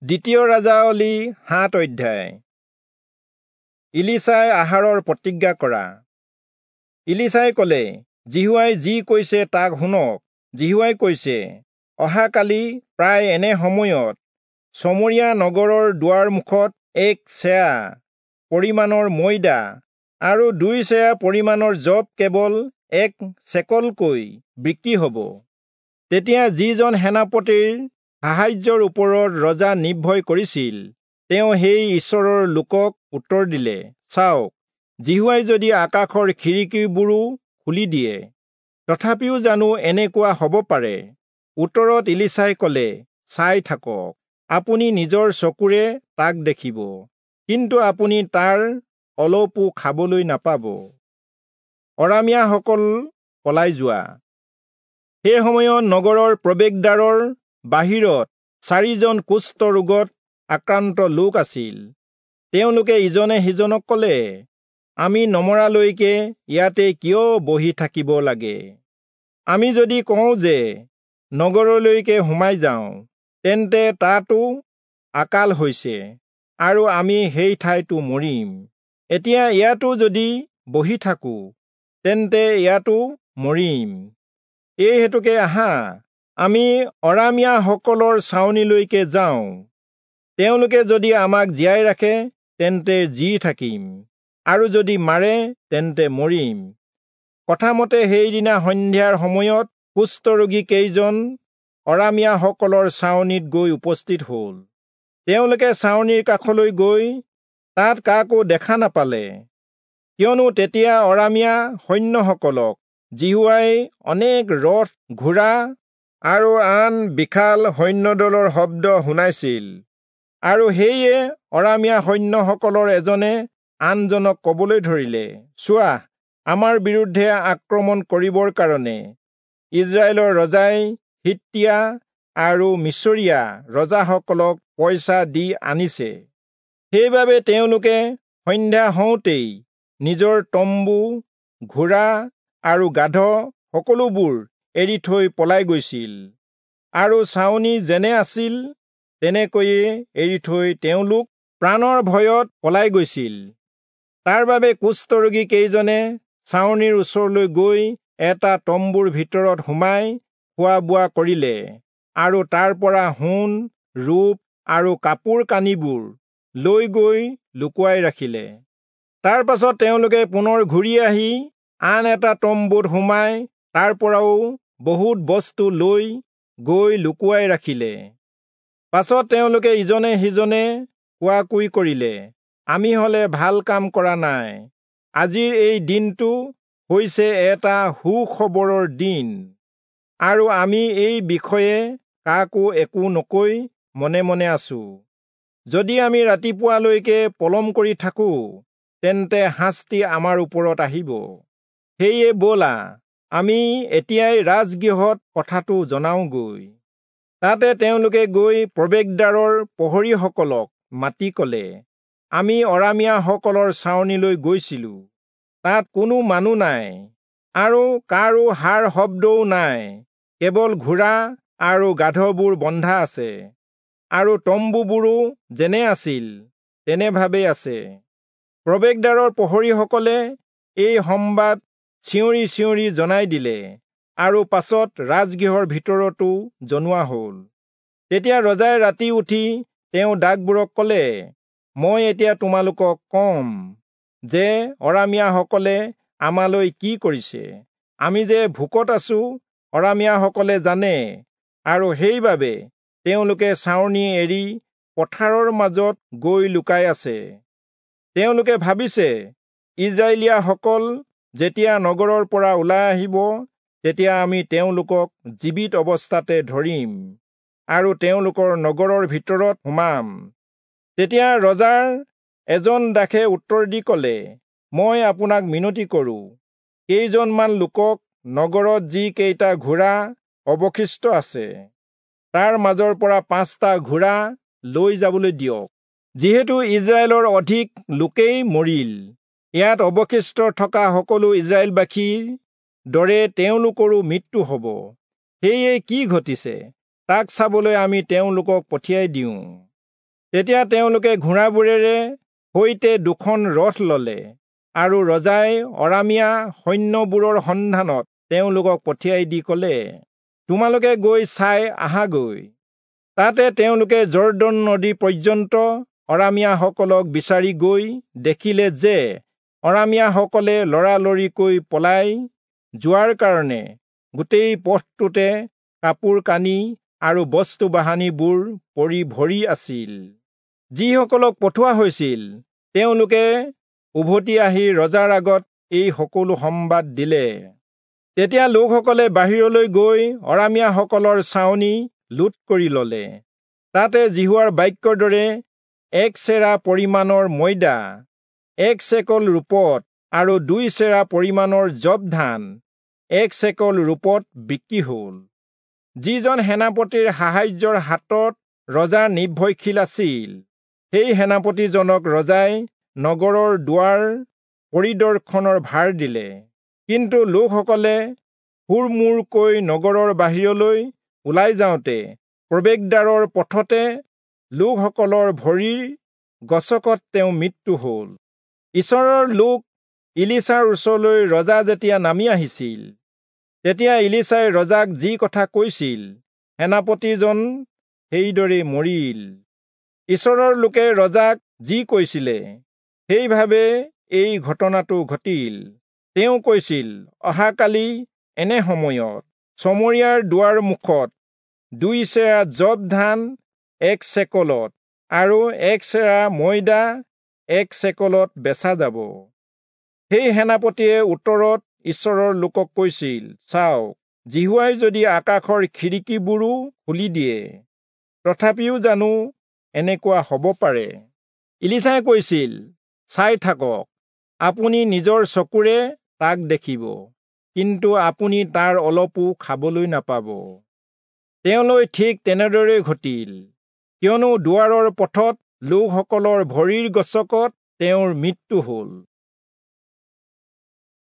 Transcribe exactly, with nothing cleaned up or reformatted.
দ্বিতীয় ৰাজাৱলী সাত অধ্যায়। ইলীচাই আহাৰৰ প্ৰতিজ্ঞা কৰা। ইলীচাই ক'লে, যিহোৱাই যি কৈছে তাক শুনক। যিহোৱাই কৈছে, অহাকালি প্ৰায় এনে সময়ত চমৰীয়া নগৰৰ দুৱাৰ মুখত এক চেয়া পৰিমাণৰ ময়দা আৰু দুই চেয়া পৰিমাণৰ যৱ কেৱল এক চেকলকৈ বিক্ৰী হ'ব। তেতিয়া যিজন সেনাপতিৰ সাহায্যৰ ওপৰত ৰজা নিৰ্ভয় কৰিছিল, তেওঁ সেই ঈশ্বৰৰ লোকক উত্তৰ দিলে, চাওক, যিহোৱাই যদি আকাশৰ খিৰিকীবোৰো খুলি দিয়ে, তথাপিও জানো এনেকুৱা হ'ব পাৰে? উত্তৰত ইলীচাই ক'লে, চাই থাকক, আপুনি নিজৰ চকুৰে তাক দেখিব, কিন্তু আপুনি তাৰ অলপো খাবলৈ নাপাব। অৰামীয়াসকল পলাই যোৱা। সেই সময়ত নগৰৰ প্ৰৱেশদ্বাৰৰ বাহিৰত চাৰিজন কুষ্ঠ ৰোগত আক্ৰান্ত লোক আছিল। তেওঁলোকে ইজনে সিজনক ক'লে, আমি নমৰালৈকে ইয়াতে কিয় বহি থাকিব লাগে? আমি যদি কওঁ যে নগৰলৈকে সোমাই যাওঁ, তেন্তে তাতো আকাল হৈছে আৰু আমি সেই ঠাইতো মৰিম। এতিয়া ইয়াতো যদি বহি থাকোঁ, তেন্তে ইয়াতো মৰিম। এই হেতুকে আহা, আমি অৰামীয়াসকলৰ ছাউনিলৈকে যাওঁ। তেওঁলোকে যদি আমাক জীয়াই ৰাখে, তেন্তে জী থাকিম, আৰু যদি মাৰে, তেন্তে মৰিম। কথামতে সেইদিনা সন্ধিয়াৰ সময়ত কুষ্ঠৰোগী কেইজন অৰামীয়াসকলৰ ছাউনিত গৈ উপস্থিত হ'ল। তেওঁলোকে ছাউনিৰ কাষলৈ গৈ তাত কাকো দেখা নাপালে, কিয়নো তেতিয়া অৰামীয়া সৈন্যসকলক যিহোৱাই অনেক ৰথ, ঘোঁৰা আৰু আন বিশাল সৈন্যদলৰ শব্দ শুনাইছিল। আৰু সেয়ে অৰামীয়া সৈন্যসকলৰ এজনে আনজনক ক'বলৈ ধৰিলে, চোৱা, আমাৰ বিৰুদ্ধে আক্ৰমণ কৰিবৰ কাৰণে ইজৰাইলৰ ৰজাই হিত্তীয়া আৰু মিচৰীয়া ৰজাসকলক পইচা দি আনিছে। সেইবাবে তেওঁলোকে সন্ধ্যা হওঁতেই নিজৰ তম্বু, ঘোঁৰা আৰু গাধ সকলোবোৰ এৰি থৈ পলাই গৈছিল, আৰু ছাউনি যেনে আছিল তেনেকৈয়ে এৰি থৈ তেওঁলোক প্ৰাণৰ ভয়ত পলাই গৈছিল। তাৰ বাবে কুষ্ঠৰোগী কেইজনে ছাউনিৰ ওচৰলৈ গৈ এটা তম্বুৰ ভিতৰত সোমাই খোৱা বোৱা কৰিলে আৰু তাৰ পৰা সোণ, ৰূপ আৰু কাপোৰ কানিবোৰ লৈ গৈ লুকুৱাই ৰাখিলে। তাৰ পাছত তেওঁলোকে পুনৰ ঘূৰি আহি আন এটা তম্বুত সোমাই তাৰ পৰাও বহুত বস্তু লৈ গৈ লুকুৱাই ৰাখিলে। পাছত তেওঁলোকে ইজনে সিজনে কোৱাকুই কৰিলে, আমি হলে ভাল কাম কৰা নাই। আজিৰ এই দিনটো হৈছে এটা সুখবৰৰ দিন, আৰু আমি এই বিষয়ে কাকো একো নকৈ মনে মনে আছো। যদি আমি ৰাতিপুৱালৈকে পলম কৰি থাকোঁ, তেন্তে শাস্তি আমাৰ ওপৰত আহিব। সেয়ে ব'লা, আমি এতিয়াই ৰাজগৃহত কথাটো জনাওঁগৈ। তাতে তেওঁলোকে গৈ প্ৰৱেশদ্বাৰৰ প্ৰহৰীসকলক মাতি ক'লে, আমি অৰামীয়াসকলৰ ছাউনিলৈ গৈছিলোঁ, তাত কোনো মানুহ নাই আৰু কাৰো হাৰ শব্দও নাই, কেৱল ঘোঁৰা আৰু গাধবোৰ বন্ধা আছে, আৰু তম্বুবোৰো যেনে আছিল তেনেভাৱেই আছে। প্ৰৱেশদ্বাৰৰ প্ৰহৰীসকলে এই সম্বাদ চিঞৰি চিঞৰি জনাই দিলে, আৰু পাছত ৰাজগৃহৰ ভিতৰতো জনোৱা হ'ল। তেতিয়া ৰজাই ৰাতি উঠি তেওঁ দাসবোৰক ক'লে, মই এতিয়া তোমালোকক কম যে অৰামীয়াসকলে আমালৈ কি কৰিছে। আমি যে ভোকত আছো, অৰামীয়াসকলে জানে, আৰু সেইবাবে তেওঁলোকে ছাউনি এৰি পথাৰৰ মাজত গৈ লুকাই আছে। তেওঁলোকে ভাবিছে, ইজৰাইলীয়াসকল যেতিয়া নগৰৰ পৰা ওলাই আহিব, তেতিয়া আমি তেওঁলোকক জীৱিত অৱস্থাতে ধৰিম আৰু তেওঁলোকৰ নগৰৰ ভিতৰত সোমাম। তেতিয়া ৰজাৰ এজন দাসে উত্তৰ দি ক'লে, মই আপোনাক মিনতি কৰোঁ, কেইজনমান লোকক নগৰত যি কেইটা ঘোঁৰা অৱশিষ্ট আছে, তাৰ মাজৰ পৰা পাঁচটা ঘোঁৰা লৈ যাবলৈ দিয়ক। যিহেতু ইজৰাইলৰ অধিক লোকেই মৰিল, ইয়াত অৱশিষ্ট থকা সকলো ইজৰাইলবাসীৰ দৰে তেওঁলোকৰো মৃত্যু হ'ব। সেয়ে কি ঘটিছে তাক চাবলৈ আমি তেওঁলোকক পঠিয়াই দিওঁ। তেতিয়া তেওঁলোকে ঘোঁৰাবোৰেৰে সৈতে দুখন ৰথ ললে আৰু ৰজাই অৰামীয়া সৈন্যবোৰৰ সন্ধানত তেওঁলোকক পঠিয়াই দি কলে, তোমালোকে গৈ চাই আহাগৈ। তাতে তেওঁলোকে যৰ্দন নদী পৰ্যন্ত অৰামীয়াসকলক বিচাৰি গৈ দেখিলে যে অৰামীয়াসকলে লৰালৰিকৈ পলাই যোৱাৰ কাৰণে গোটেই পথটোতে কাপোৰ কানি আৰু বস্তু বাহানিবোৰ পৰি ভৰি আছিল। যিসকলক পঠোৱা হৈছিল তেওঁলোকে উভতি আহি ৰজাৰ আগত এই সকলো সম্বাদ দিলে। তেতিয়া লোকসকলে বাহিৰলৈ গৈ অৰামীয়াসকলৰ ছাউনি লুট কৰি ললে। তাতে যিহোৱাৰ বাক্যৰ দৰে এক চেৰা পৰিমাণৰ ময়দা এক চেকল ৰূপত আৰু দুই চেৰা পৰিমাণৰ যৱ ধান এক চেকল ৰূপত বিক্ৰী হল। যিজন সেনাপতিৰ সাহায্যৰ হাতত ৰজা নিৰ্ভৰশীল আছিল, সেই সেনাপতিজনক ৰজাই নগৰৰ দুৱাৰ পৰিদৰ্শনৰ ভাৰ দিলে। কিন্তু লোকসকলে হুৰমূৰকৈ নগৰৰ বাহিৰলৈ ওলাই যাওঁতে প্ৰৱেশদ্বাৰৰ পথতে লোকসকলৰ ভৰিৰ গছকত তেওঁ মৃত্যু হল। ঈশ্বৰৰ লোক ইলিচাৰ ওচৰলৈ ৰজা যেতিয়া নামি আহিছিল, তেতিয়া ইলিচাই ৰজাক যি কথা কৈছিল, সেনাপতিজন সেইদৰে মৰিল। ঈশ্বৰৰ লোকে ৰজাক যি কৈছিলে সেইভাৱে এই ঘটনাটো ঘটিল। তেওঁ কৈছিল, অহাকালি এনে সময়ত চমৰীয়াৰ দুৱাৰ মুখত দুই চেৰা যৱ ধান এক চেকলত আৰু এক চেৰা ময়দা এক চেকলত বেচা যাব। সেই সেনাপতিয়ে উত্তৰত ঈশ্বৰৰ লোকক কৈছিল, চাওক, যিহোৱাই যদি আকাশৰ খিৰিকীবোৰো খুলি দিয়ে, তথাপিও জানো এনেকুৱা হ'ব পাৰে? ইলিচাই কৈছিল, চাই থাকক, আপুনি নিজৰ চকুৰে তাক দেখিব, কিন্তু আপুনি তাৰ অলপো খাবলৈ নাপাব। তেওঁলৈ ঠিক তেনেদৰেই ঘটিল, কিয়নো দুৱাৰৰ পথত লোকসকলৰ ভৰিৰ গছকত তেওঁৰ মৃত্যু হল।